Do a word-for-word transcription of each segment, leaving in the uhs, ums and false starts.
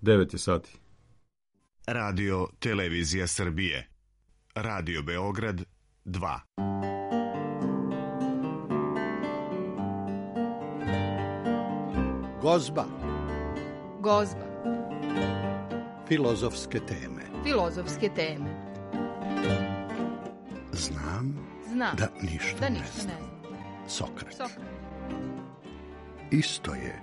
devet je sati. Radio Televizija Srbije. Radio Beograd dva. Gozba. Gozba. Filozofske teme. Filozofske teme. Znam, Znam da ništa, da ne, ništa znam. ne znam. Sokrat. Sokrat. Isto je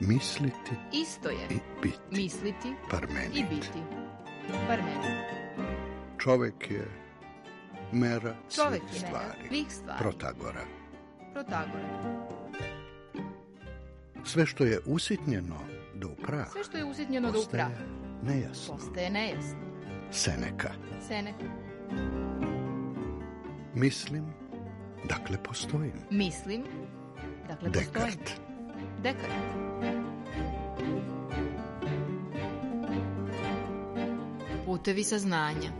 misliti Isto je i biti. misliti Parmenid. i biti. Parmenid. Čovek je mera Čovek svih je mera stvari. svih stvari. Protagora. Protagora. Sve što je usitnjeno do upraha, Sve što je usitnjeno do postaje upraha nejasno. postaje nejasno. Seneka. Seneka. Mislim, dakle postojim. Mislim, dakle postojim. Dekart. Dekart. Putevi saznanja.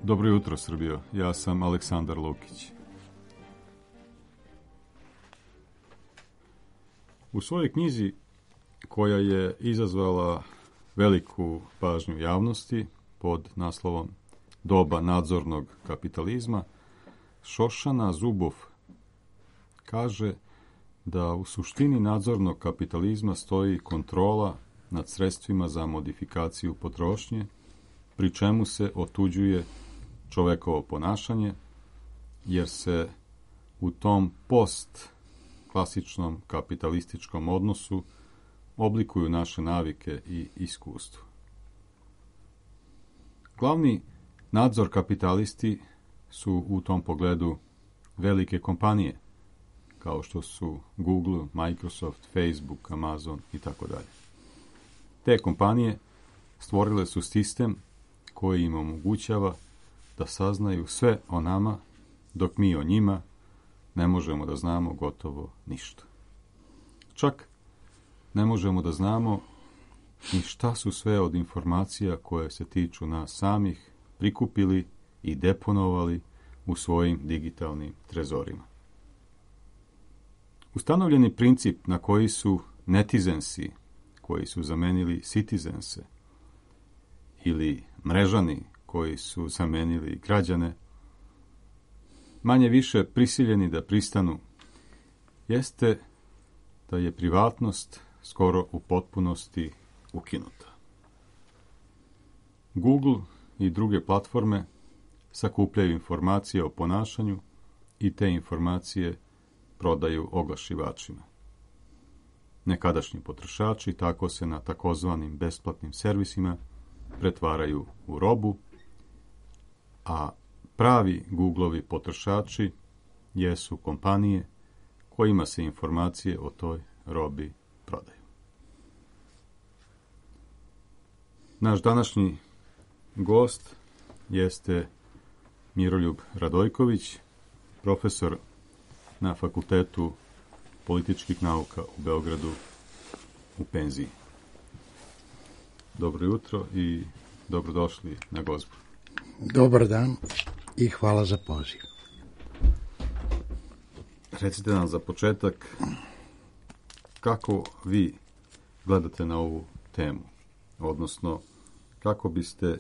Dobro jutro, Srbijo. Ja sam Aleksandar Lukić. U svojoj knjizi, koja je izazvala veliku pažnju javnosti pod naslovom Doba nadzornog kapitalizma, Šošana Zuboff kaže da u suštini nadzornog kapitalizma stoji kontrola nad sredstvima za modifikaciju potrošnje, pri čemu se otuđuje čovekovo ponašanje, jer se u tom post-klasičnom kapitalističkom odnosu oblikuju naše navike i iskustvo. Glavni nadzor kapitalisti su u tom pogledu velike kompanije, kao što su Google, Microsoft, Facebook, Amazon i tako dalje. Te kompanije stvorile su sistem koji im omogućava da saznaju sve o nama, dok mi o njima ne možemo da znamo gotovo ništa. Čak ne možemo da znamo ni šta su sve od informacija koje se tiču nas samih prikupili i deponovali u svojim digitalnim trezorima. Ustanovljeni princip na koji su netizensi, koji su zamenili citizense, ili mrežani koji su zamenili građane, manje više prisiljeni da pristanu, jeste da je privatnost skoro u potpunosti ukinuta. Google i druge platforme sakupljaju informacije o ponašanju i te informacije prodaju oglašivačima. Nekadašnji potrošači tako se na takozvanim besplatnim servisima pretvaraju u robu, a pravi Googlovi potrošači jesu kompanije kojima se informacije o toj robi prodaju. Naš današnji gost jeste Miroljub Radojković, profesor na Fakultetu političkih nauka u Beogradu u penziji. Dobro jutro i dobrodošli na Gozbu. Dobar dan i hvala za poziv. recite nam za početak kako vi gledate na ovu temu, odnosno kako biste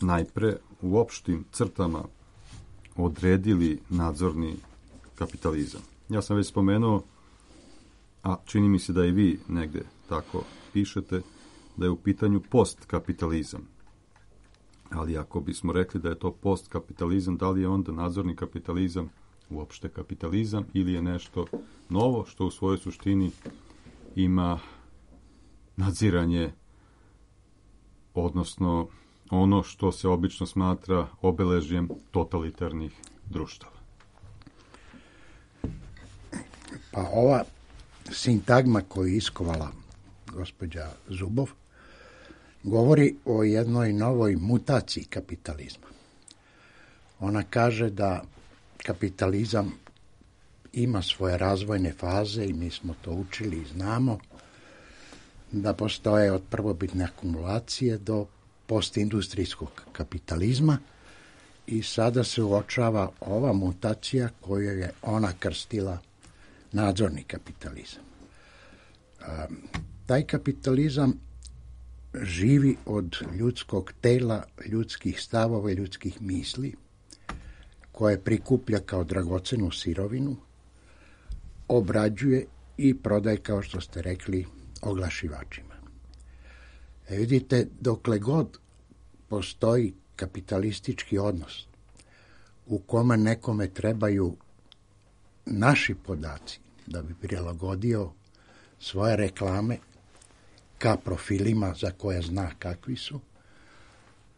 najpre u opštim crtama odredili nadzorni kapitalizam. Ja sam već spomenuo, a čini mi se da i vi negde tako pišete, da je u pitanju postkapitalizam. Ali ako bismo rekli da je to postkapitalizam, da li je onda nadzorni kapitalizam uopšte kapitalizam ili je nešto novo što u svojoj suštini ima nadziranje, odnosno ono što se obično smatra obeležjem totalitarnih društava? Pa ova sintagma koju je iskovala gospođa Zubov govori o jednoj novoj mutaciji kapitalizma. Ona kaže da kapitalizam ima svoje razvojne faze i mi smo to učili i znamo, da postoje od prvobitne akumulacije do postindustrijskog kapitalizma i sada se uočava ova mutacija koju je ona krstila nadzorni kapitalizam. Taj kapitalizam živi od ljudskog tela, ljudskih stavova i ljudskih misli, koje prikuplja kao dragocenu sirovinu, obrađuje i prodaje, kao što ste rekli, oglašivačima. E vidite, dokle god postoji kapitalistički odnos u kome nekome trebaju naši podaci da bi prilagodio svoje reklame ka profilima za koje zna kakvi su,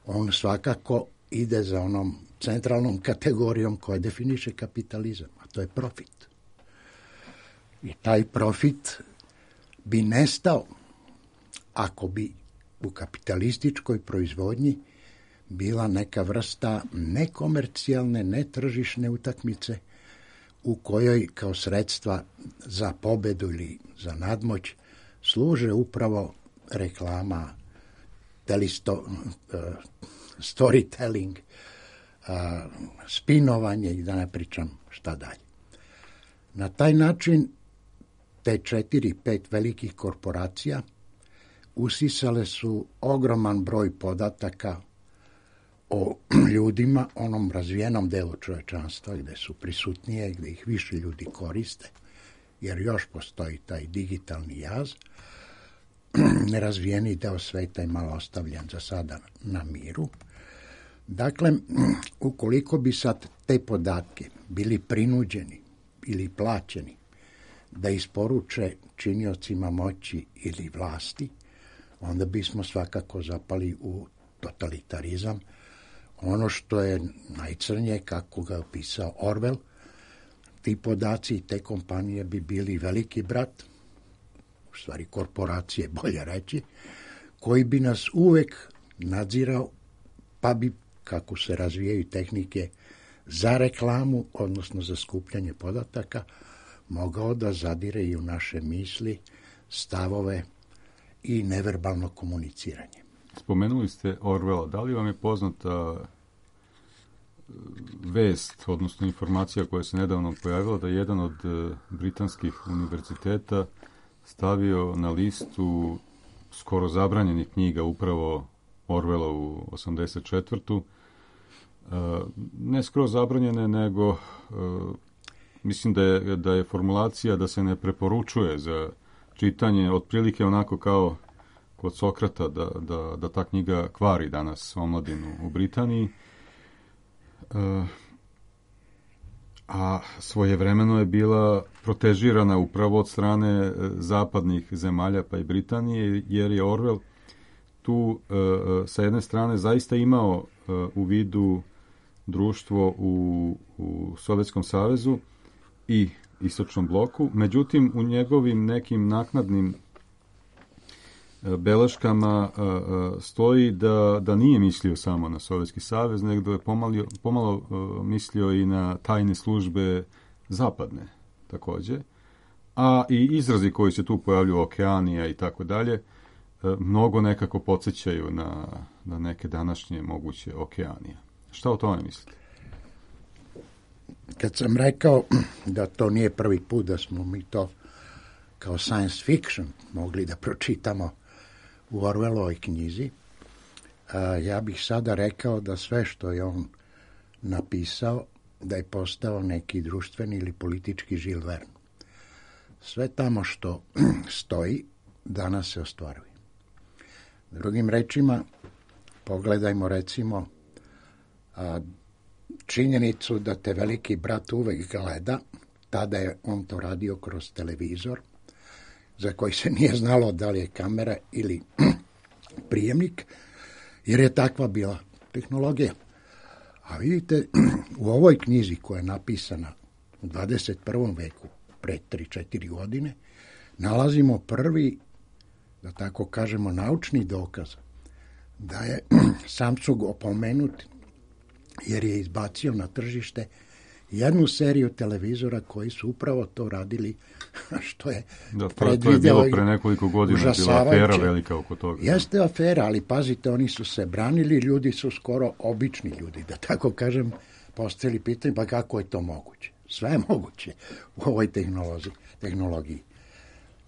on svakako ide za onom centralnom kategorijom koja definiše kapitalizam, a to je profit. I taj profit bi nestao ako bi u kapitalističkoj proizvodnji bila neka vrsta nekomercijalne, netržišne utakmice u kojoj kao sredstva za pobedu ili za nadmoć služe upravo reklama, telisto, uh, storytelling, uh, spinovanje i da ne pričam šta dalje. Na taj način te četiri, pet velikih korporacija usisale su ogroman broj podataka o ljudima, onom razvijenom delu čovečanstva gde su prisutnije, gde ih više ljudi koriste, jer još postoji taj digitalni jaz. Nerazvijeni deo sveta je malo ostavljen za sada na miru. Dakle, ukoliko bi sad te podatke bili prinuđeni ili plaćeni da isporuče činiocima moći ili vlasti, onda bismo svakako zapali u totalitarizam. Ono što je najcrnje, kako ga je opisao Orwell, ti podaci i te kompanije bi bili veliki brat, u stvari korporacije, bolje reći, koji bi nas uvek nadzirao, pa bi, kako se razvijaju tehnike za reklamu, odnosno za skupljanje podataka, mogao da zadire i u naše misli, stavove i neverbalno komuniciranje. Spomenuli ste Orwella. Da li vam je poznata vest, odnosno informacija koja se nedavno pojavila da je jedan od britanskih univerziteta stavio na listu skoro zabranjenih knjiga upravo Orwellovu osamdeset četvrtu. Ne skoro zabranjene, nego mislim da je, da je formulacija da se ne preporučuje za čitanje, otprilike onako kao kod Sokrata, da, da, da ta knjiga kvari danas omladinu u Britaniji. E, a svojevremeno je bila protežirana upravo od strane zapadnih zemalja, pa i Britanije, jer je Orwell tu e, sa jedne strane zaista imao e, u vidu društvo u, u Sovjetskom savezu i Istočnom bloku, međutim u njegovim nekim naknadnim beleškama stoji da, da nije mislio samo na Sovjetski savez, nego je pomalio, pomalo mislio i na tajne službe zapadne takođe. A i izrazi koji se tu pojavljuju, Okeanija i tako dalje, mnogo nekako podsjećaju na, na neke današnje moguće Okeanije. Šta o tome mislite? kad sam rekao da to nije prvi put da smo mi to kao science fiction mogli da pročitamo u Orwellovoj knjizi, a, ja bih sada rekao da sve što je on napisao, da je postao neki društveni ili politički Jules Verne. Sve tamo što stoji, danas se ostvaruje. Drugim rečima, pogledajmo recimo a, činjenicu da te veliki brat uvek gleda, tada je on to radio kroz televizor, za koji se nije znalo da li je kamera ili prijemnik, jer je takva bila tehnologija. A vidite, u ovoj knjizi koja je napisana u dvadeset prvom veku, pre tri četiri godine, nalazimo prvi, da tako kažemo, naučni dokaz da je Samsung opomenut jer je izbacio na tržište jednu seriju televizora koji su upravo to radili, što je da, predvideo. To je bilo pre nekoliko godina, bila afera velika oko toga. Jeste afera, ali pazite, oni su se branili, ljudi su skoro obični ljudi, da tako kažem, postavili pitanje, pa kako je to moguće? Sve je moguće u ovoj tehnologiji.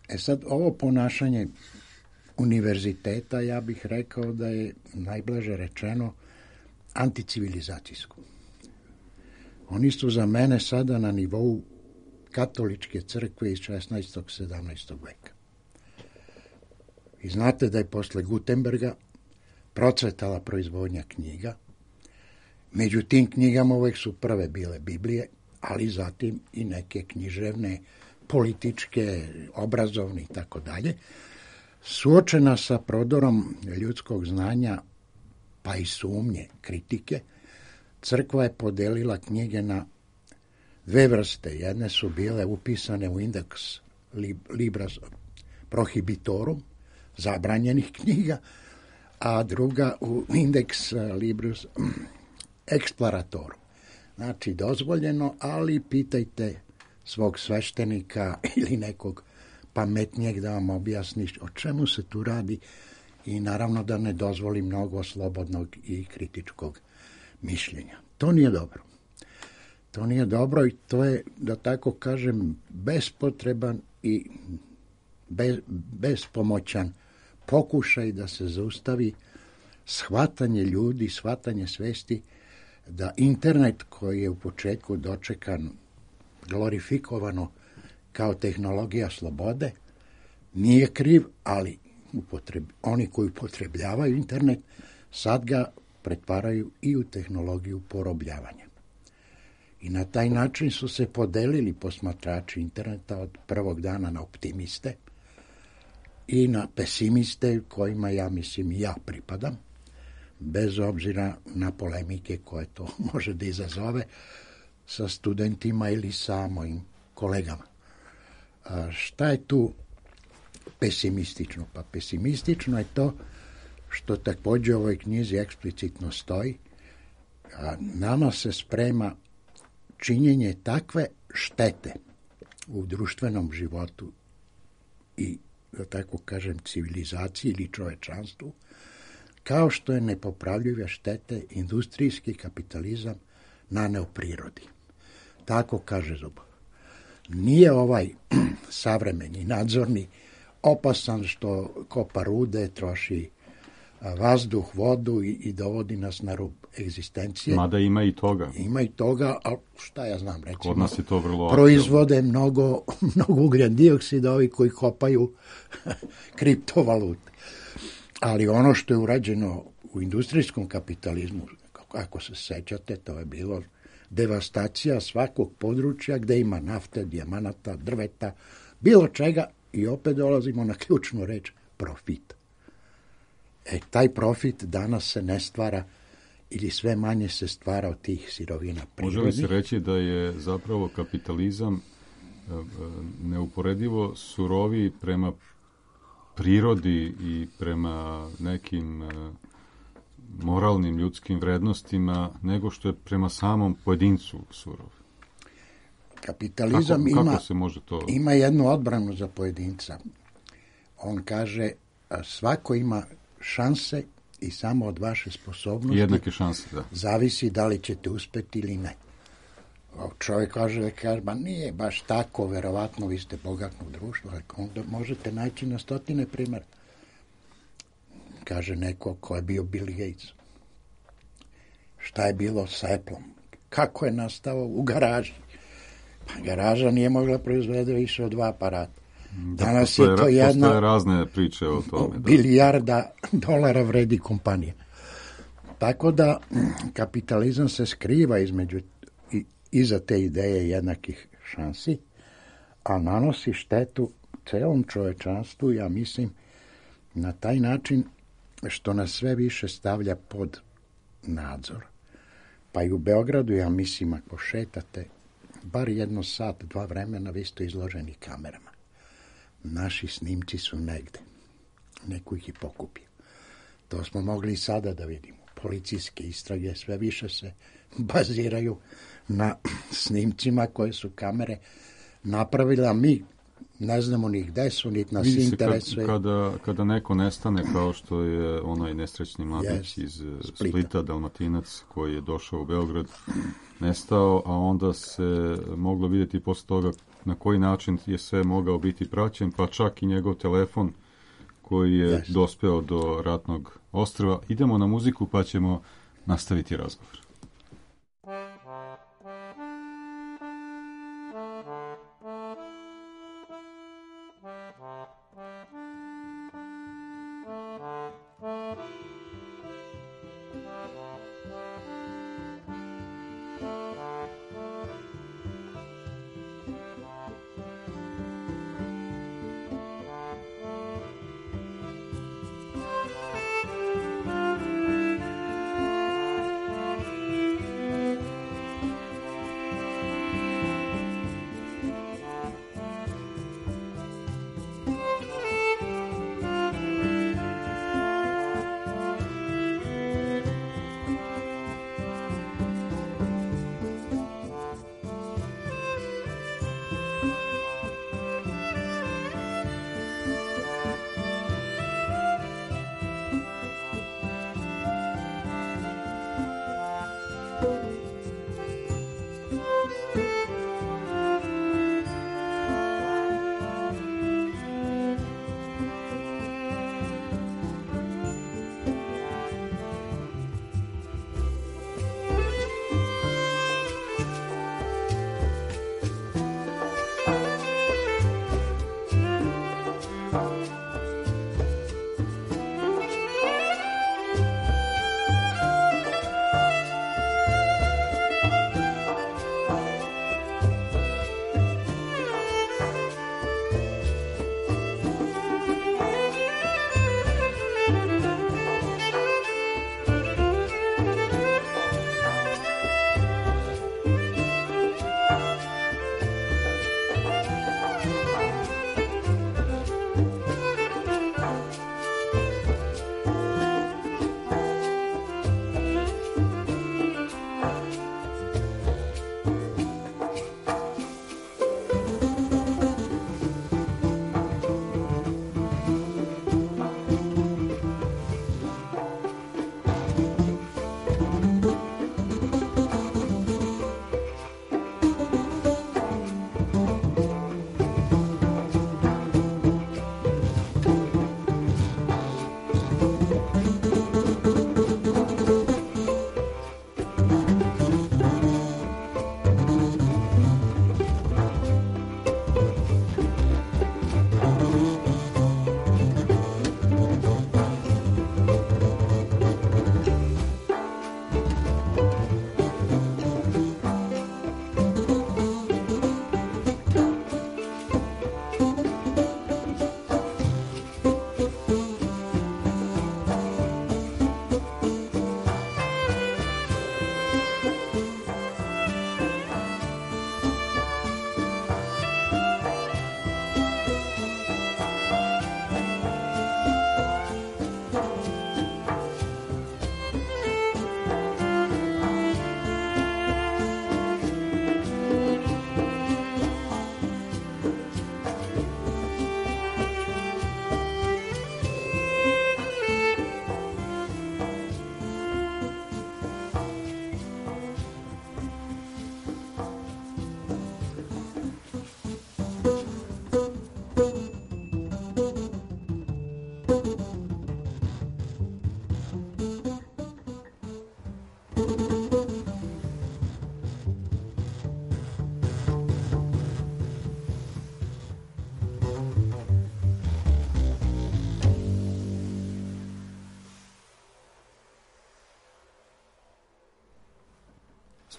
E sad, ovo ponašanje univerziteta, ja bih rekao da je najblaže rečeno anticivilizacijsko. Oni su za mene sada na nivou katoličke crkve iz šesnaestog sedamnaestog veka. I znate da je posle Gutenberga procvetala proizvodnja knjiga. Među tim knjigama uvek su prve bile Biblije, ali zatim i neke književne, političke, obrazovne i tako dalje. Suočena sa prodorom ljudskog znanja, pa i sumnje, kritike, crkva je podelila knjige na dve vrste. Jedne su bile upisane u indeks Libras Prohibitorum, zabranjenih knjiga, a druga u indeks Libras Exploratorum. Znači, dozvoljeno, ali pitajte svog sveštenika ili nekog pametnijeg da vam objasni o čemu se tu radi i naravno da ne dozvoli mnogo slobodnog i kritičkog mišljenja. To nije dobro. To nije dobro i to je, da tako kažem, bespotreban i bez, bespomoćan pokušaj da se zaustavi shvatanje ljudi, shvatanje svesti da internet koji je u početku dočekan glorifikovano kao tehnologija slobode nije kriv, ali upotreb, oni koji upotrebljavaju internet sad ga pretvaraju i u tehnologiju porobljavanja. I na taj način su se podelili posmatrači interneta od prvog dana na optimiste i na pesimiste kojima ja mislim i ja pripadam, bez obzira na polemike koje to može da izazove sa studentima ili sa mojim kolegama. A šta je tu pesimistično? Pa pesimistično je to što također u ovoj knjizi eksplicitno stoji, a nama se sprema činjenje takve štete u društvenom životu i, da tako kažem, civilizaciji ili čovečanstvu, kao što je nepopravljive štete industrijski kapitalizam naneo prirodi. Tako kaže Zubov. Nije ovaj savremeni, nadzorni, opasan što kopa rude, troši vazduh, vodu i, i dovodi nas na rub egzistencije. Mada ima i toga. Ima i toga, ali šta ja znam, recimo, kod nas je to vrlo proizvode mnogo, mnogo ugljen dioksida ovi koji kopaju kriptovalute. Ali ono što je urađeno u industrijskom kapitalizmu, ako se sećate, to je bilo devastacija svakog područja gde ima nafte, dijamanata, drveta, bilo čega i opet dolazimo na ključnu reč, profit. E, taj profit danas se ne stvara ili sve manje se stvara od tih sirovina prirodnih. Može li se reći da je zapravo kapitalizam neuporedivo suroviji prema prirodi i prema nekim moralnim ljudskim vrednostima nego što je prema samom pojedincu surov? Kapitalizam kako, ima, kako se može to... ima jednu odbranu za pojedinca. On kaže, svako ima šanse i samo od vaše sposobnosti jednake šanse, da. Zavisi da li ćete uspeti ili ne. Čovjek kaže da kaže, ba nije baš tako, verovatno vi ste bogatno društvo, ali onda možete naći na stotine primjera. Kaže neko ko je bio Bill Gates. Šta je bilo sa Appleom? Kako je nastao u garaži? Pa garaža nije mogla proizvede više od dva aparata. Da, Danas postoje, je to jedna postoje razne priče o tome. Da. Bilijarda dolara vredi kompanija. Tako da kapitalizam se skriva između i, iza te ideje jednakih šansi, a nanosi štetu celom čovečanstvu, ja mislim, na taj način što nas sve više stavlja pod nadzor. Pa i u Beogradu, ja mislim, ako šetate, bar jedno sat, dva vremena, vi ste izloženi kamerama. Naši snimci su negde. Neko ih je pokupio. To smo mogli i sada da vidimo. Policijske istrage sve više se baziraju na snimcima koje su kamere napravile, a mi ne znamo ni gde su, niti nas Vidi se interesuje. Kad, kada, kada neko nestane, kao što je onaj nesrećni mladić Yes, iz Splita. Splita, Dalmatinac, koji je došao u Beograd, nestao, a onda se moglo vidjeti posle toga na koji način je sve mogao biti praćen, pa čak i njegov telefon koji je Yes. dospeo do ratnog ostrva. Idemo na muziku pa ćemo nastaviti razgovor. Thank you.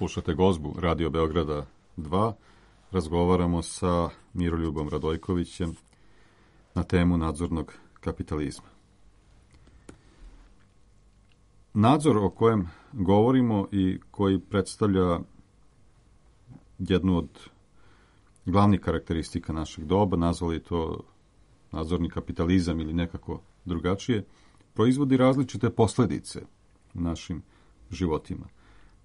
Slušate Gozbu Radio Beograda dva. Razgovaramo sa Miroljubom Radojkovićem na temu nadzornog kapitalizma. Nadzor o kojem govorimo i koji predstavlja jednu od glavnih karakteristika našeg doba, nazvali to nadzorni kapitalizam ili nekako drugačije, proizvodi različite posljedice u našim životima.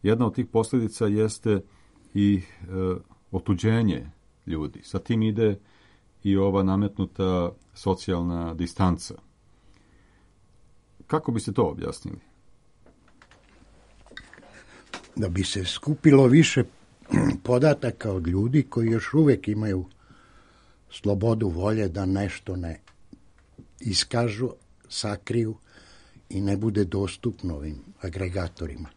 Jedna od tih posljedica jeste i e, otuđenje ljudi. Sa tim ide i ova nametnuta socijalna distanca. Kako biste to objasnili? Da bi se skupilo više podataka od ljudi koji još uvijek imaju slobodu volje da nešto ne iskažu, sakriju i ne bude dostupno ovim agregatorima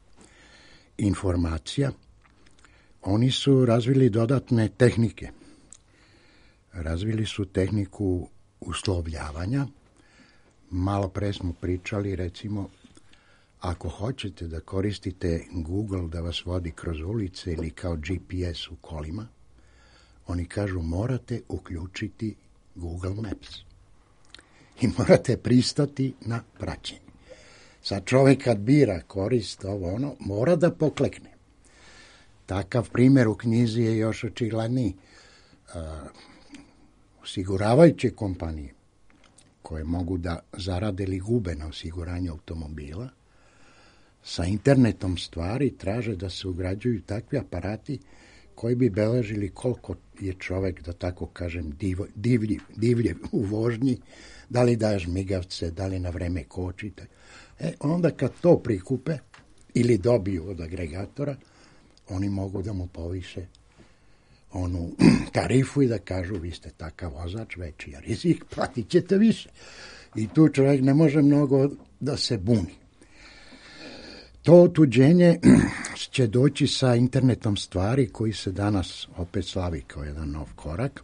informacija, oni su razvili dodatne tehnike. Razvili su tehniku uslovljavanja. Malo pre smo pričali, recimo, ako hoćete da koristite Google da vas vodi kroz ulice ili kao G P S u kolima, oni kažu morate uključiti Google Maps. I morate pristati na praćenje. Sad čovjek kad bira korist ovo ono, mora da poklekne. Takav primjer u knjizi je još očigledniji. Osiguravajuće kompanije koje mogu da zarade ili gube na osiguranju automobila, sa internetom stvari traže da se ugrađuju takvi aparati koji bi beležili koliko je čovjek, da tako kažem, div, divljiv, divljiv u vožnji, da li daješ migavce, da li na vreme kočite. E, onda kad to prikupe ili dobiju od agregatora, oni mogu da mu poviše onu tarifu i da kažu vi ste takav vozač, veći je rizik, platit ćete više. I tu čovjek ne može mnogo da se buni. To otuđenje će doći sa internetom stvari koji se danas opet slavi kao jedan nov korak,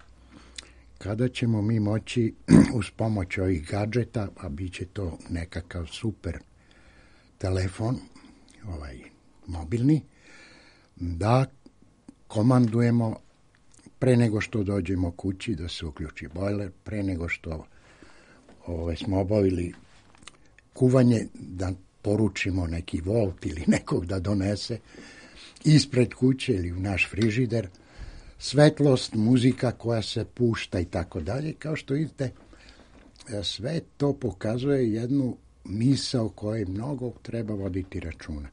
kada ćemo mi moći uz pomoć ovih gadžeta, a bit će to nekakav super telefon, ovaj mobilni, da komandujemo pre nego što dođemo kući da se uključi bojler, pre nego što ovaj, smo obavili kuvanje, da poručimo neki Volt ili nekog da donese ispred kuće ili u naš frižider, svetlost, muzika koja se pušta i tako dalje. Kao što vidite, sve to pokazuje jednu misao o kojoj mnogo treba voditi računa.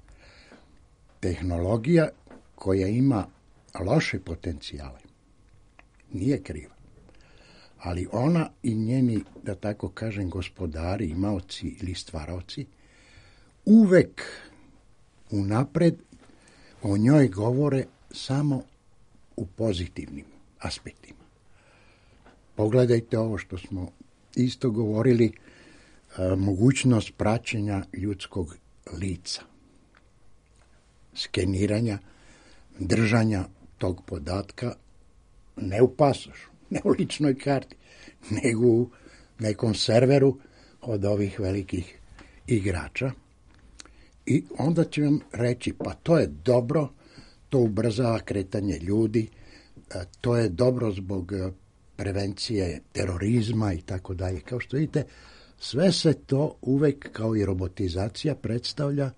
Tehnologija koja ima loše potencijale nije kriva, ali ona i njeni, da tako kažem, gospodari, imaoci ili stvaraoci uvek unapred o njoj govore samo u pozitivnim aspektima. Pogledajte ovo što smo isto govorili, a, mogućnost praćenja ljudskog lica, skeniranja, držanja tog podatka ne u pasošu, ne u ličnoj karti, nego u nekom serveru od ovih velikih igrača. I onda će vam reći, pa to je dobro, to ubrzava kretanje ljudi, to je dobro zbog prevencije terorizma i tako dalje. Kao što vidite, sve se to uvek kao i robotizacija predstavlja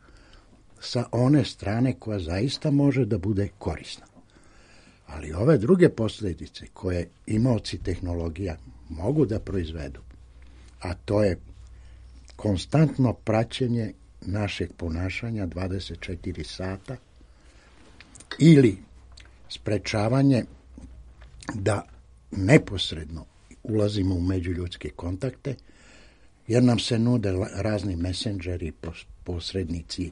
sa one strane koja zaista može da bude korisna. Ali ove druge posljedice koje imaoci tehnologija mogu da proizvedu, a to je konstantno praćenje našeg ponašanja dvadeset četiri sata ili sprečavanje da neposredno ulazimo u međuljudske kontakte, jer nam se nude razni mesendžeri, posrednici,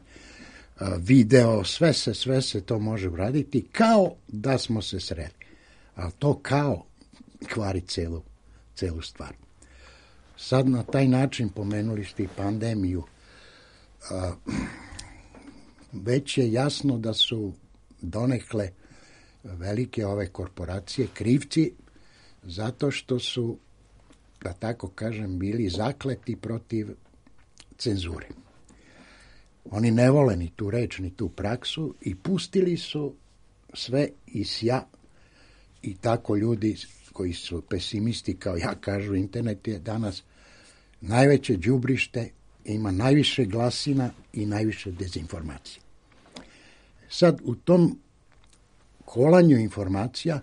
video, sve se, sve se to može uraditi kao da smo se sreli. Ali to kao kvari celu, celu stvar. Sad na taj način, pomenuli ste i pandemiju, a, već je jasno da su donekle velike ove korporacije krivci zato što su, da tako kažem, bili zakleti protiv cenzure. Oni ne vole ni tu reč, ni tu praksu i pustili su sve i sja i tako ljudi koji su pesimisti, kao ja kažu, internet je danas najveće đubrište, ima najviše glasina i najviše dezinformacije. Sad, u tom kolanju informacija,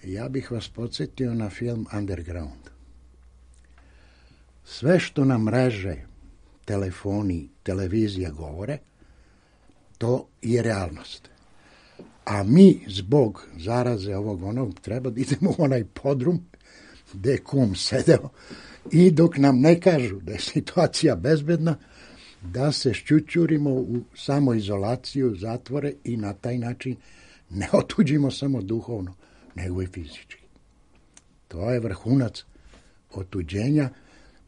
ja bih vas podsjetio na film Underground. Sve što nam mreže, telefoni, televizija govore, to je realnost. A mi, zbog zaraze ovog onog, treba da idemo u onaj podrum gde je kum sedeo i dok nam ne kažu da je situacija bezbedna, da se šćućurimo u samoizolaciju, zatvore i na taj način ne otuđimo samo duhovno, nego i fizički. To je vrhunac otuđenja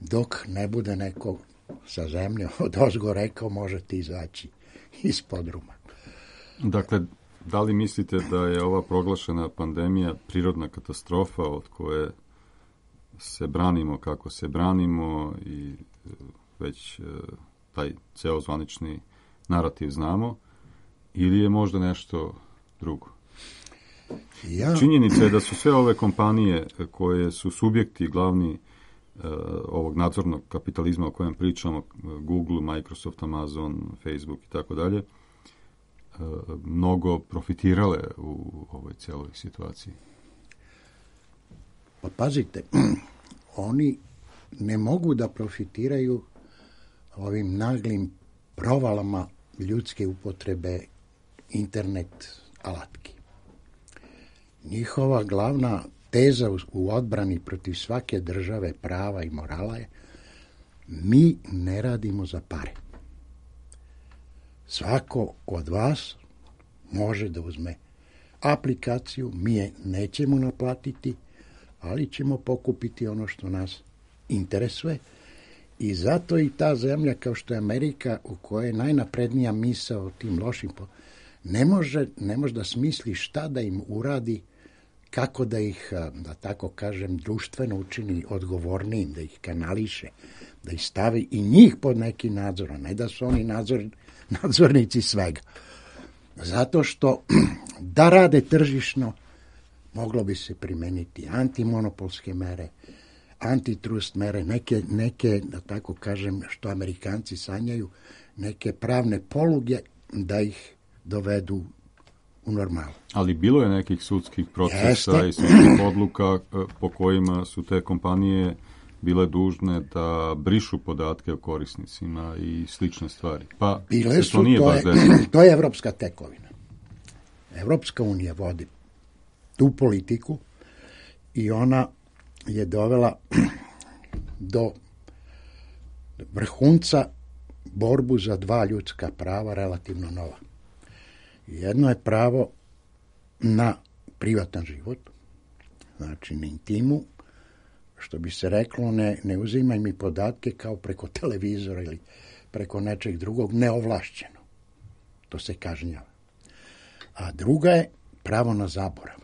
dok ne bude neko sa zemlje od ozgo rekao možete izaći iz podruma. Dakle, da li mislite da je ova proglašena pandemija prirodna katastrofa od koje se branimo kako se branimo i već taj ceo zvanični narativ znamo, ili je možda nešto drugo? Ja... Činjenica je da su sve ove kompanije koje su subjekti glavni uh, ovog nadzornog kapitalizma o kojem pričamo, Google, Microsoft, Amazon, Facebook i tako dalje, mnogo profitirale u ovoj cijeloj situaciji. Pa pazite, oni ne mogu da profitiraju ovim naglim provalama ljudske upotrebe internet alatki. Njihova glavna teza u odbrani protiv svake države prava i morala je mi ne radimo za pare. Svako od vas može da uzme aplikaciju, mi je nećemo naplatiti, ali ćemo pokupiti ono što nas interesuje. I zato i ta zemlja kao što je Amerika, u kojoj je najnaprednija misao o tim lošim, ne može, ne može da smisli šta da im uradi, kako da ih, da tako kažem, društveno učini odgovornijim, da ih kanališe, da ih stavi i njih pod neki nadzor, a ne da su oni nadzor, nadzornici svega. Zato što da rade tržišno, moglo bi se primeniti antimonopolske mere, antitrust mere, neke, neke, da tako kažem, što Amerikanci sanjaju, neke pravne poluge da ih dovedu u normalu. Ali bilo je nekih sudskih procesa Jeste. i sudskih odluka po kojima su te kompanije bile dužne da brišu podatke o korisnicima i slične stvari. Pa Bile su, to nije to baš je, to je evropska tekovina. Evropska unija vodi tu politiku i ona je dovela do vrhunca borbu za dva ljudska prava relativno nova. Jedno je pravo na privatan život, znači na intimu, što bi se reklo, ne, ne uzimaj mi podatke kao preko televizora ili preko nečeg drugog, neovlašćeno. To se kažnjava. A druga je pravo na zaborav.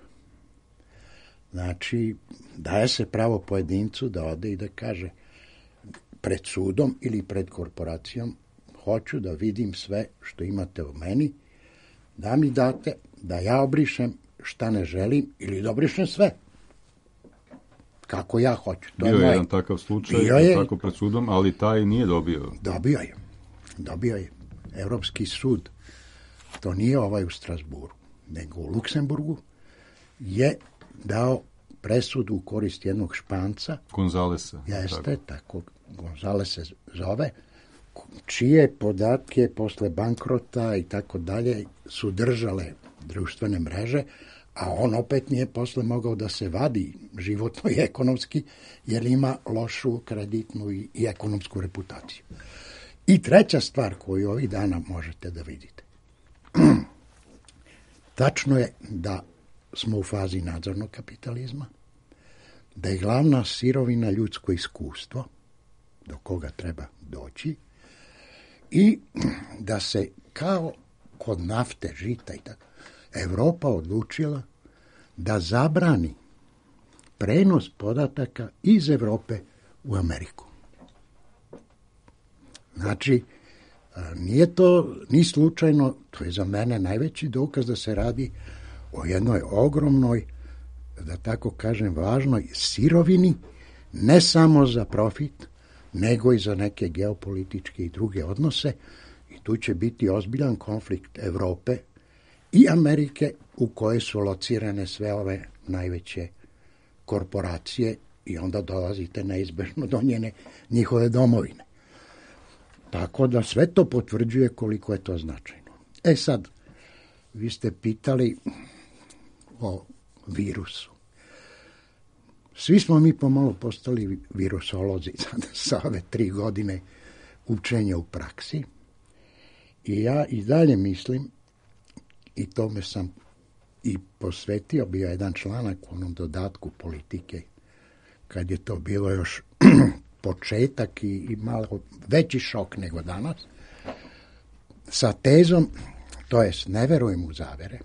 Znači, daje se pravo pojedincu da ode i da kaže pred sudom ili pred korporacijom, hoću da vidim sve što imate o meni, da mi date, da ja obrišem šta ne želim ili da obrišem sve. Kako ja hoću. To Bio je je moj... jedan takav slučaj, je... tako pred sudom, ali taj nije dobio. Dobio je. Dobio je. Evropski sud, to nije ovaj u Strasburu, nego u Luksemburgu, je dao presudu u korist jednog Španca. Gonzalesa. Jeste, tako. tako Gonzales se zove, čije podatke posle bankrota i tako dalje su držale društvene mreže, a on opet nije posle mogao da se vadi životno i ekonomski, jer ima lošu kreditnu i, i ekonomsku reputaciju. I treća stvar koju ovih dana možete da vidite. Tačno je da smo u fazi nadzornog kapitalizma, da je glavna sirovina ljudsko iskustvo, do koga treba doći, i da se kao kod nafte, žita i tako, Evropa odlučila da zabrani prenos podataka iz Evrope u Ameriku. Znači, Nije to ni slučajno, to je za mene najveći dokaz da se radi o jednoj ogromnoj, da tako kažem, važnoj sirovini, ne samo za profit, nego i za neke geopolitičke i druge odnose. I tu će biti ozbiljan konflikt Evrope i Amerike u kojoj su locirane sve ove najveće korporacije i onda dolazite neizbežno do njene, njihove domovine. Tako da sve to potvrđuje koliko je to značajno. E sad, vi ste pitali o virusu. Svi smo mi pomalo postali virusolozi sa ove tri godine učenja u praksi. I ja i dalje mislim, i tome sam i posvetio, bio jedan članak u onom dodatku Politike, kad je to bilo još početak i, i malo veći šok nego danas, sa tezom, to jest ne verujem u zavere,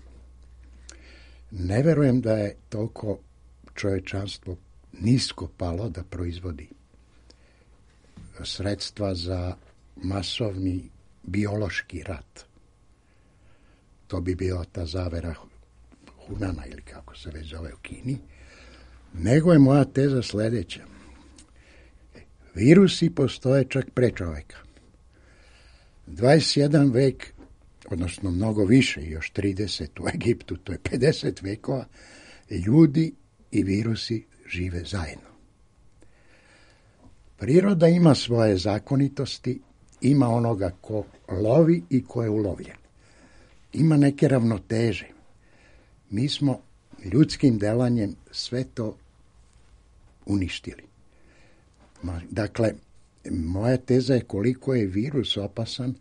ne verujem da je toliko čovječanstvo nisko palo da proizvodi sredstva za masovni biološki rat. To bi bila ta zavera Hunana ili kako se već zove u Kini. Nego je moja teza sljedeća. Virusi postoje čak pre čoveka. dvadeset jedan vek, odnosno mnogo više, još trideset u Egiptu, to je pedeset vekova, ljudi i virusi žive zajedno. Priroda ima svoje zakonitosti, ima onoga ko lovi i ko je ulovljen. Ima neke ravnoteže. Mi smo ljudskim delanjem sve to uništili. Dakle, moja teza je koliko je virus opasan,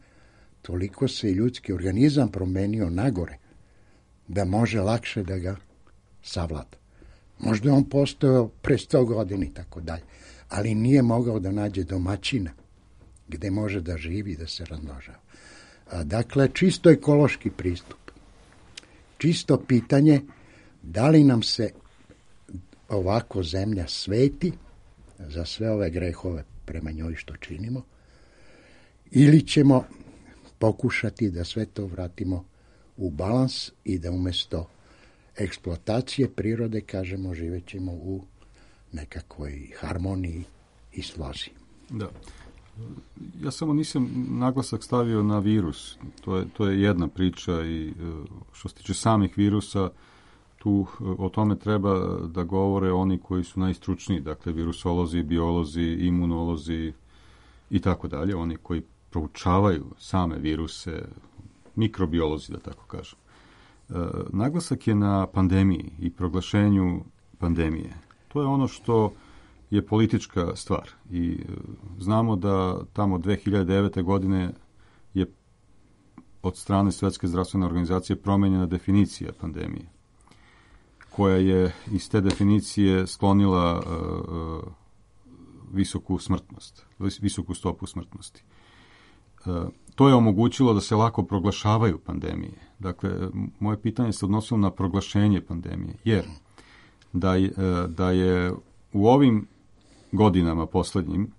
toliko se ljudski organizam promenio nagore, da može lakše da ga savlada. Možda je on postojao pre sto godina i tako dalje, ali nije mogao da nađe domaćina gde može da živi i da se razmnožava. Dakle, čisto ekološki pristup. Čisto pitanje da li nam se ovako zemlja sveti za sve ove grehove prema njoj što činimo, ili ćemo pokušati da sve to vratimo u balans i da umjesto eksploatacije prirode, kažemo, živet ćemo u nekakvoj harmoniji i slozi. Da. Ja samo nisam naglasak stavio na virus. To je, to je jedna priča i što se tiče samih virusa, tu o tome treba da govore oni koji su najstručniji, dakle virusolozi, biolozi, imunolozi i tako dalje, oni koji proučavaju same viruse, mikrobiolozi, da tako kažem. E, naglasak je na pandemiji i proglašenju pandemije. To je ono što je politička stvar i e, znamo da tamo dve hiljade devete. godine je od strane Svetske zdravstvene organizacije promenjena definicija pandemije, koja je iz te definicije sklonila uh, visoku smrtnost, visoku stopu smrtnosti. Uh, to je omogućilo da se lako proglašavaju pandemije. Dakle, moje pitanje se odnosilo na proglašenje pandemije, jer da je, uh, da je u ovim godinama posljednjim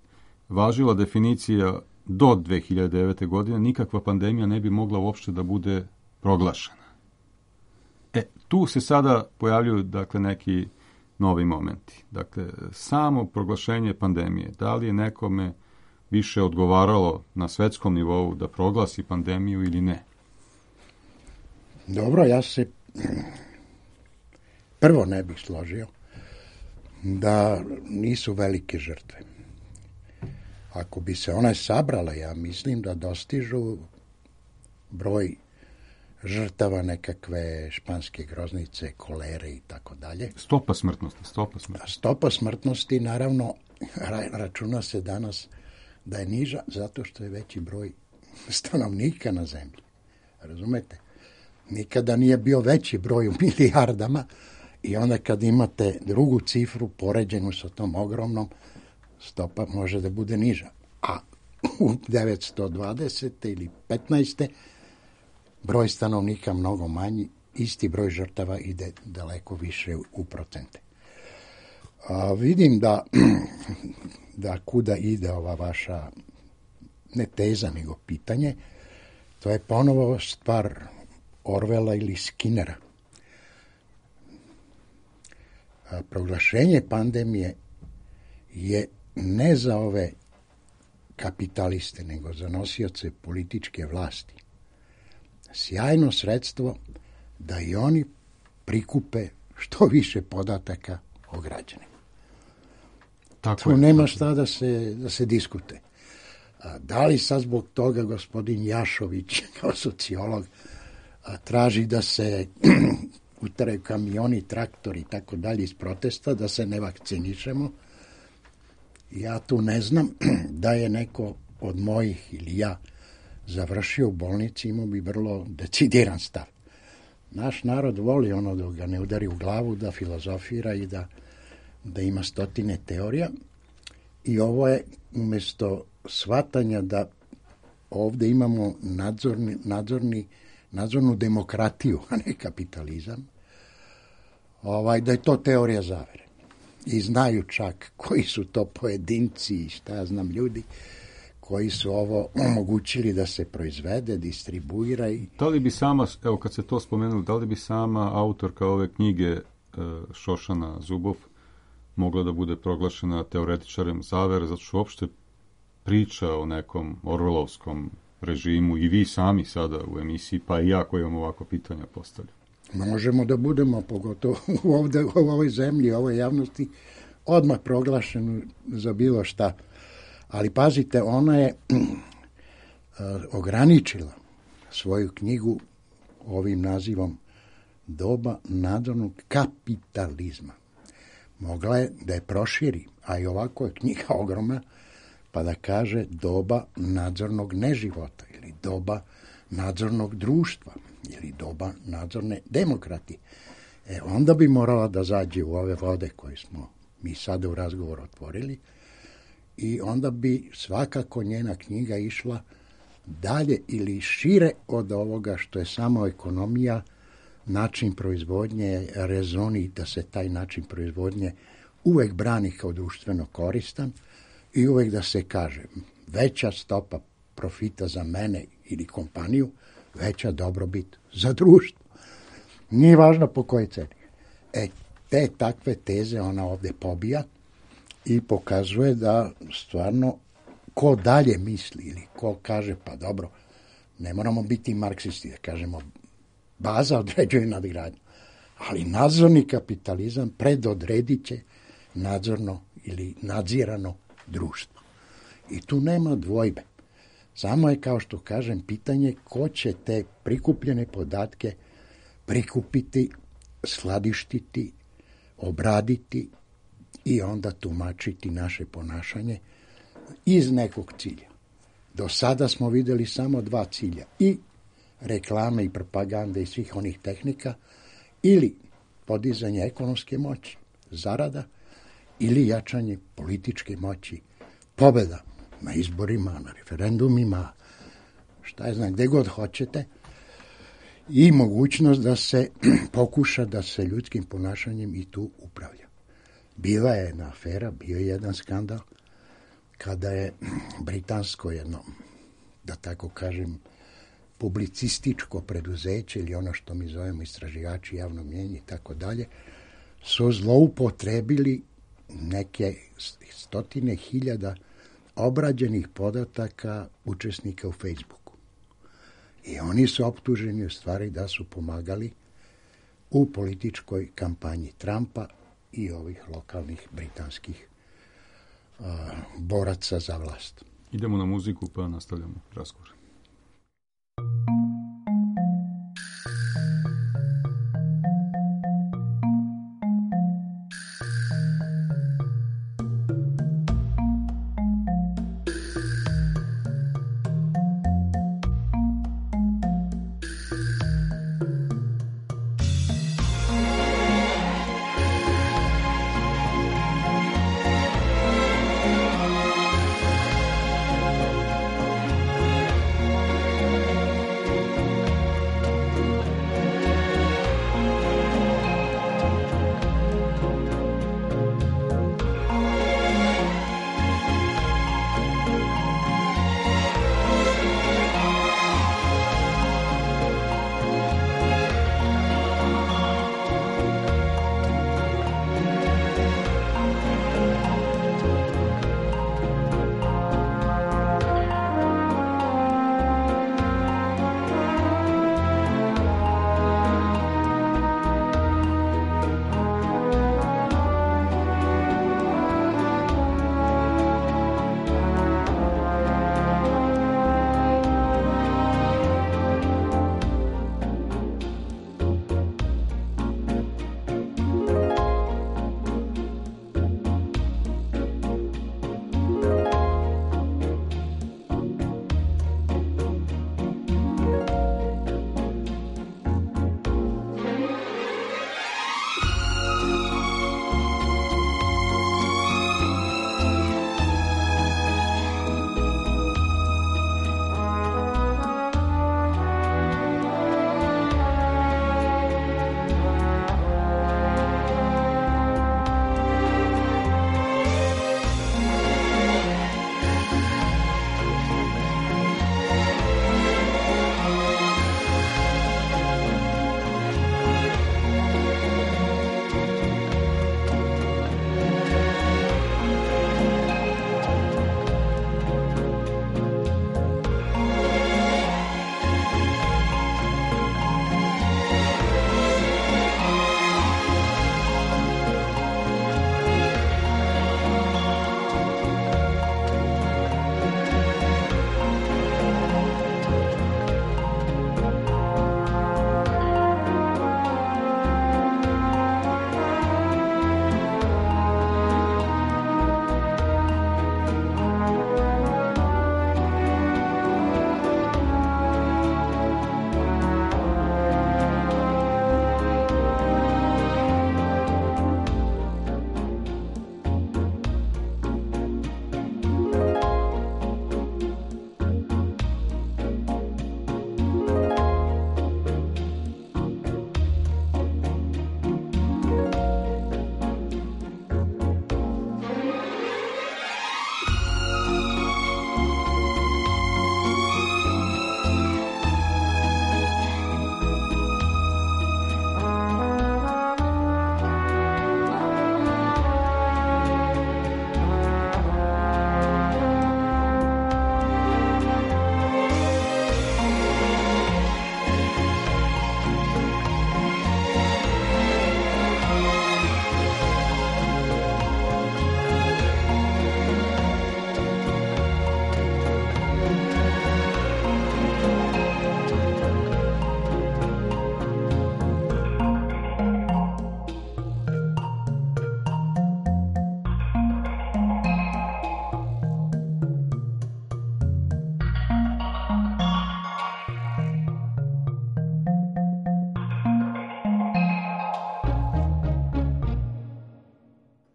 važila definicija do dve hiljade devete. godine, nikakva pandemija ne bi mogla uopšte da bude proglašena. E, tu se sada pojavljuju, dakle, neki novi momenti. Dakle, samo proglašenje pandemije, da li je nekome više odgovaralo na svetskom nivou da proglasi pandemiju ili ne? Dobro, ja se prvo ne bih složio da nisu velike žrtve. Ako bi se one sabrale, ja mislim da dostižu broj žrtava nekakve španske groznice, kolere i tako dalje. Stopa smrtnosti, stopa smrtnosti. Stopa smrtnosti, naravno, računa se danas da je niža zato što je veći broj stanovnika na zemlji. Razumete? Nikada nije bio veći broj u milijardama i onda kad imate drugu cifru poređenu sa tom ogromnom, stopa može da bude niža. A u devetsto dvadesete ili petnaeste broj stanovnika mnogo manji, isti broj žrtava ide daleko više u procente. A vidim da, da kuda ide ova vaša ne teza, nego pitanje, to je ponovo stvar Orwella ili Skinnera. A proglašenje pandemije je ne za ove kapitaliste, nego za nosioce političke vlasti sjajno sredstvo da i oni prikupe što više podataka o građanima. Tako tu je, nema tako. šta da se, da se diskute. A, da li sad zbog toga gospodin Jašović kao sociolog a, traži da se utaraju kamioni, traktori i tako dalje iz protesta, da se ne vakcinišemo? Ja tu ne znam da je neko od mojih ili ja završio u bolnici, imao bi vrlo decidiran stav. Naš narod voli ono da ga ne udari u glavu, da filozofira i da, da ima stotine teorija. I ovo je umjesto shvatanja da ovdje imamo nadzorni, nadzorni, nadzornu demokratiju, a ne kapitalizam, ovaj, da je to teorija zavere. I znaju čak koji su to pojedinci i šta ja znam ljudi koji su ovo omogućili da se proizvede, distribuira. I... Da li bi sama, evo kad se to spomenuli, da li bi sama autorka ove knjige Šošana Zubov mogla da bude proglašena teoretičarem zavere, zato što uopšte priča o nekom orvelovskom režimu i vi sami sada u emisiji, pa i ja koji vam ovako pitanja postavljam. Možemo da budemo, pogotovo ovde, u ovoj zemlji, u ovoj javnosti, odmah proglašeno za bilo šta. Ali pazite, ona je ograničila svoju knjigu ovim nazivom Doba nadzornog kapitalizma. Mogla je da je proširi, a i ovako je knjiga ogromna, pa da kaže doba nadzornog neživota ili doba nadzornog društva ili doba nadzorne demokratije. E, onda bi morala da zađe u ove vode koje smo mi sada u razgovoru otvorili i onda bi svakako njena knjiga išla dalje ili šire od ovoga što je samo ekonomija, način proizvodnje, rezoni da se taj način proizvodnje uvek brani kao društveno koristan i uvek da se kaže veća stopa profita za mene ili kompaniju, veća dobrobit za društvo. Nije važno po kojoj ceni. E, te takve teze ona ovdje pobija i pokazuje da stvarno ko dalje misli ili ko kaže pa dobro, ne moramo biti marksisti, da kažemo baza određuje nadgradnju, ali nadzorni kapitalizam predodredit će nadzorno ili nadzirano društvo. I tu nema dvojbe. Samo je, kao što kažem, pitanje ko će te prikupljene podatke prikupiti, skladištiti, obraditi i onda tumačiti naše ponašanje iz nekog cilja. Do sada smo vidjeli samo dva cilja, i reklame i propagande i svih onih tehnika, ili podizanje ekonomske moći, zarada, ili jačanje političke moći, pobjeda na izborima, na referendumima, šta je znam, gdje god hoćete, i mogućnost da se pokuša da se ljudskim ponašanjem i tu upravlja. Bila je jedna afera, bio je jedan skandal, kada je britansko jedno, da tako kažem, publicističko preduzeće ili ono što mi zovemo istraživači javnog mnijenja i tako dalje, su zloupotrebili neke stotine hiljada obrađenih podataka učesnika u Facebooku. I oni su optuženi u stvari da su pomagali u političkoj kampanji Trumpa i ovih lokalnih britanskih uh, boraca za vlast. Idemo na muziku pa nastavljamo razgovor.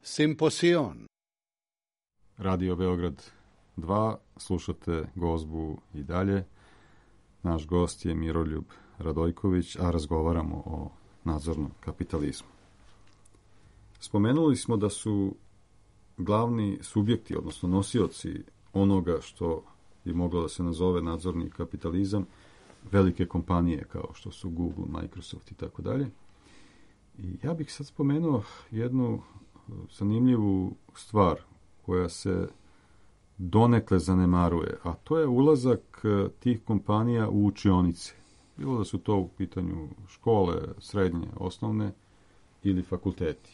Simposion. Radio Beograd dva, slušate Gozbu i dalje. Naš gost je Miroljub Radojković, a razgovaramo o nadzornom kapitalizmu. Spomenuli smo da su glavni subjekti, odnosno nosioci onoga što bi moglo da se nazove nadzorni kapitalizam, velike kompanije kao što su Google, Microsoft i tako dalje. I ja bih sad spomenuo jednu zanimljivu stvar koja se donekle zanemaruje, a to je ulazak tih kompanija u učionice. Bilo da su to u pitanju škole, srednje, osnovne ili fakulteti.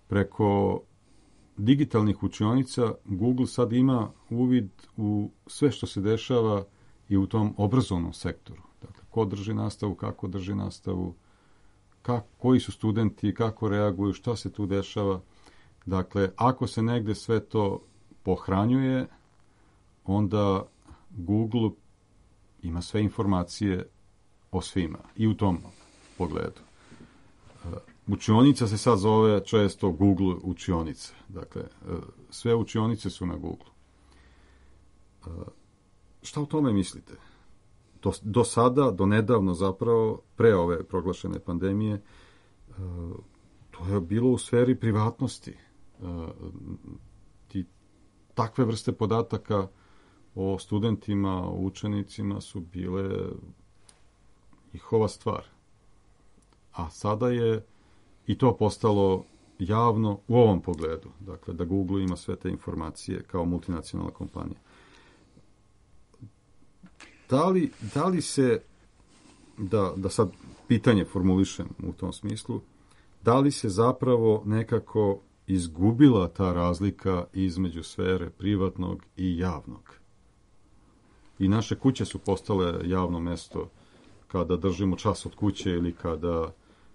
Preko digitalnih učionica Google sad ima uvid u sve što se dešava i u tom obrazovnom sektoru. Dakle, ko drži nastavu, kako drži nastavu, kak, koji su studenti, kako reaguju, šta se tu dešava. Dakle, ako se negde sve to pohranjuje, onda Google ima sve informacije o svima i u tom pogledu. Učionica se sad zove često Google učionica. Dakle, sve učionice su na Google. Šta o tome mislite? Do, do sada, do nedavno zapravo, pre ove proglašene pandemije, to je bilo u sferi privatnosti. Ti, takve vrste podataka o studentima, o učenicima su bile njihova stvar. A sada je i to postalo javno u ovom pogledu. Dakle, da Google ima sve te informacije kao multinacionalna kompanija. Da li, da li se, da, da sad pitanje formulišem u tom smislu, da li se zapravo nekako izgubila ta razlika između sfere privatnog i javnog? I naše kuće su postale javno mesto kada držimo čas od kuće ili kada,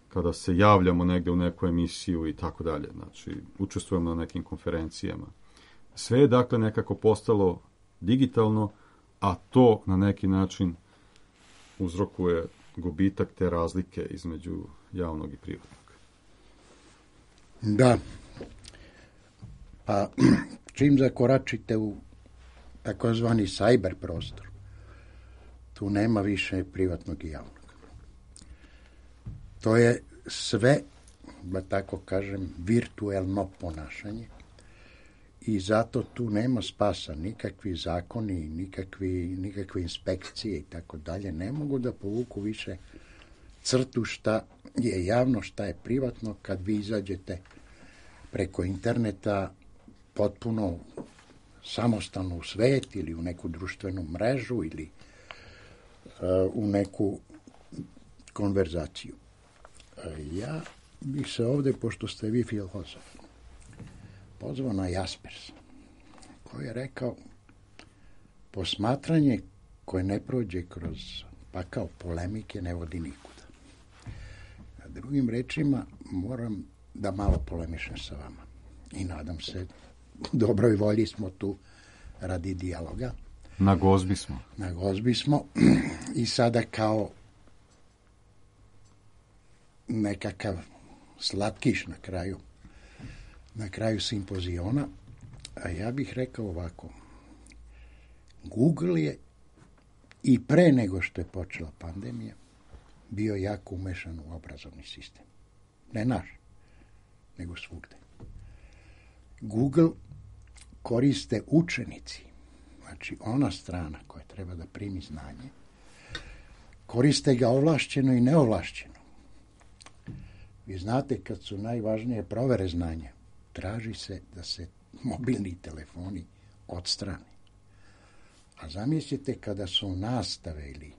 kada se javljamo negde u neku emisiju i tako dalje. Znači, učestvujemo na nekim konferencijama. Sve je dakle nekako postalo digitalno, a to na neki način uzrokuje gubitak te razlike između javnog i privatnog. Da. Pa čim zakoračite u takozvani cyber prostor, tu nema više privatnog i javnog. To je sve, da tako kažem, virtuelno ponašanje i zato tu nema spasa. Nikakvi zakoni, nikakvi, nikakve inspekcije i tako dalje ne mogu da povuku više crtu šta je javno, šta je privatno kad vi izađete preko interneta potpuno samostalno u svet ili u neku društvenu mrežu ili uh, u neku konverzaciju. Uh, ja bih se ovde, pošto ste vi filozof, pozvao na Jaspersa, koji je rekao posmatranje koje ne prođe kroz pakao polemike ne vodi nikuda. A drugim rečima, moram da malo polemišem sa vama. I nadam se, u dobroj volji smo tu radi dijaloga. Na gozbi smo. Na gozbi smo. I sada kao nekakav slatkiš na kraju, na kraju simpoziona, a ja bih rekao ovako. Google je i pre nego što je počela pandemija bio jako umešan u obrazovni sistem. Ne naš, nego svugde. Google koriste učenici, znači ona strana koja treba da primi znanje, koriste ga ovlašćeno i neovlašćeno. Vi znate kad su najvažnije provere znanja, traži se da se mobilni telefoni odstrane. A zamislite kada su nastave ili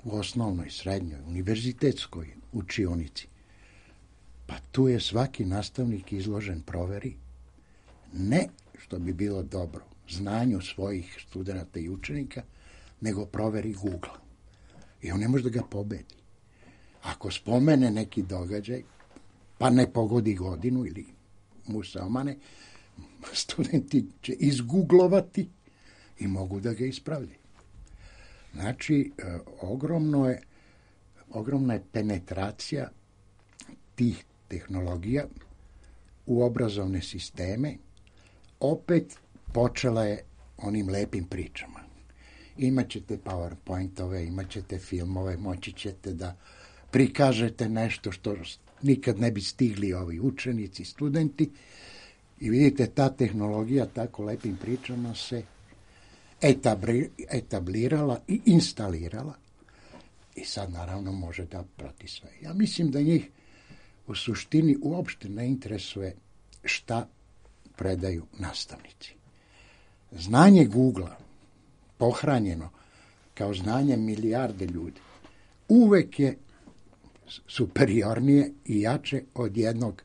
u osnovnoj, srednjoj, univerzitetskoj učionici, pa tu je svaki nastavnik izložen proveri, ne što bi bilo dobro znanju svojih studenata i učenika, nego proveri Google. I on ne može da ga pobedi. Ako spomene neki događaj, pa ne pogodi godinu ili mu se omane, studenti će izgooglovati i mogu da ga ispravljaju. Znači, ogromno je, ogromna je penetracija tih tehnologija u obrazovne sisteme, opet počela je onim lepim pričama. Imaćete PowerPointove, imaćete filmove, moći ćete da prikažete nešto što nikad ne bi stigli ovi učenici, studenti. I vidite, ta tehnologija tako lepim pričama se etablirala i instalirala. I sad naravno može da prati sve. Ja mislim da njih u suštini uopšte ne interesuje šta predaju nastavnici. Znanje Google-a, pohranjeno kao znanje milijarde ljudi, uvek je superiornije i jače od jednog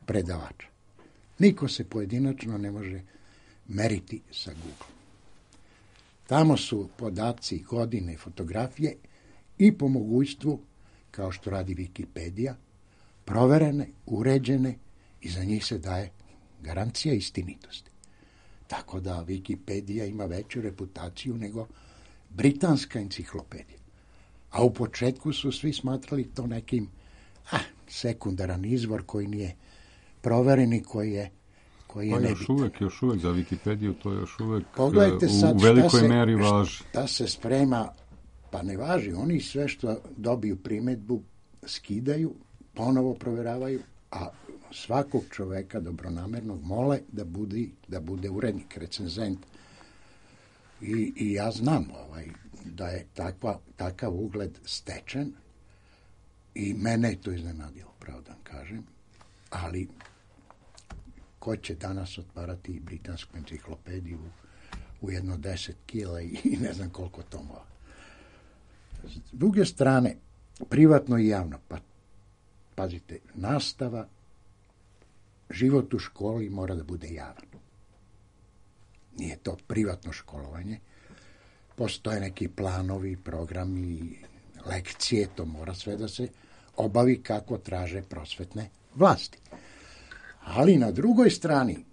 predavača. Niko se pojedinačno ne može meriti sa Google. Tamo su podaci, godine, fotografije i po mogućstvu, kao što radi Wikipedija, proverene, uređene i za njih se daje garancija istinitosti. Tako da Wikipedija ima veću reputaciju nego britanska enciklopedija. A u početku su svi smatrali to nekim ah, sekundaran izvor koji nije proveren i koji je koji je pa nebitan. Još uvek, još uvek za Wikipediju to još uvek Pogledajte sad u velikoj se, meri važi. Šta se sprema, pa ne važi. Oni sve što dobiju primedbu skidaju, ponovo proveravaju, a svakog čoveka dobronamernog mole da bude, da bude urednik, recenzent. I, i ja znam ovaj, da je takva, takav ugled stečen i mene je to iznenadilo, pravo da vam kažem, ali ko će danas otvarati britansku enciklopediju u jedno deset kila i, i ne znam koliko tomova. S druge strane, privatno i javno, pa pazite, nastava, život u školi mora da bude javan. Nije to privatno školovanje. Postoje neki planovi, programi, lekcije, to mora sve da se obavi kako traže prosvetne vlasti. Ali na drugoj strani,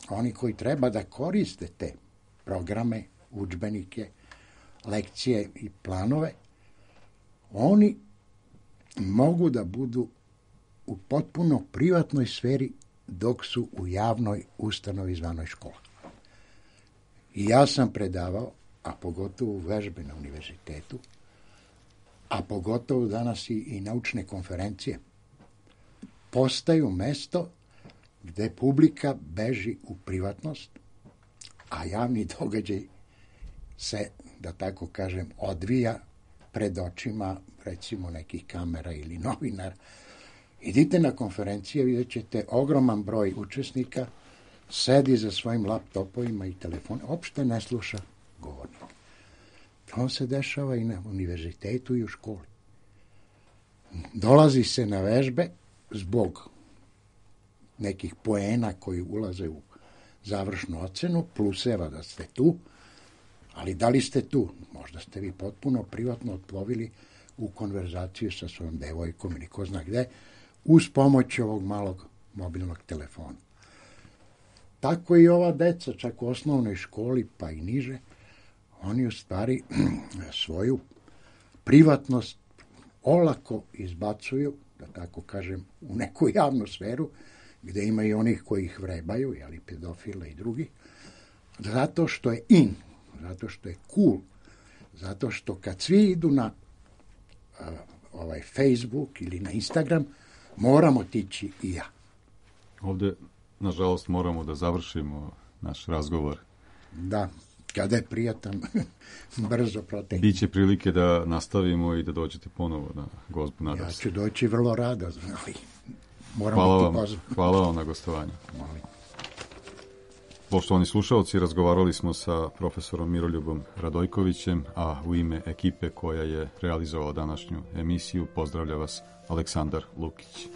oni koji treba da koriste te programe, udžbenike, lekcije i planove, oni mogu da budu u potpuno privatnoj sferi dok su u javnoj ustanovi zvanoj škola. I ja sam predavao, a pogotovo vežbe na univerzitetu, a pogotovo danas i, i naučne konferencije, postaju mesto gde publika beži u privatnost, a javni događaj se, da tako kažem, odvija pred očima, recimo, nekih kamera ili novinara. Idite na konferencije, vidjet ćete ogroman broj učesnika, sedi za svojim laptopovima i telefonima, uopšte ne sluša govornika. To se dešava i na univerzitetu i u školi. Dolazi se na vežbe zbog nekih poena koji ulaze u završnu ocenu, pluseva da ste tu, ali da li ste tu? Možda ste vi potpuno privatno otplovili u konverzaciju sa svojom devojkom ili ko zna gde, uz pomoć ovog malog mobilnog telefona. Tako i ova deca, čak u osnovnoj školi, pa i niže, oni u stvari svoju privatnost olako izbacuju, da tako kažem, u neku javnu sferu, gde ima i onih koji ih vrebaju, jeli, pedofile i drugi, zato što je in, zato što je cool, zato što kad svi idu na uh, ovaj Facebook ili na Instagram, moramo tići i ja. Ovde, nažalost, moramo da završimo naš razgovor. Da, kada je prijatan, brzo protekne. Biće prilike da nastavimo i da dođete ponovo na gozbu, nadam se. Ja ću doći vrlo rado, ali moram hvala biti vam, pozvan. hvala vam na gostovanju. Molim. Poštovani slušaoci, razgovarali smo sa profesorom Miroljubom Radojkovićem, a u ime ekipe koja je realizovala današnju emisiju pozdravlja vas Aleksandar Lukić.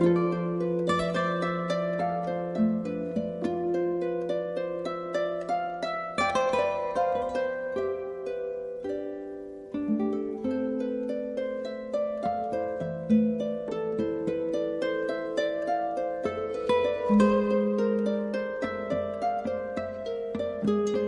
Thank you.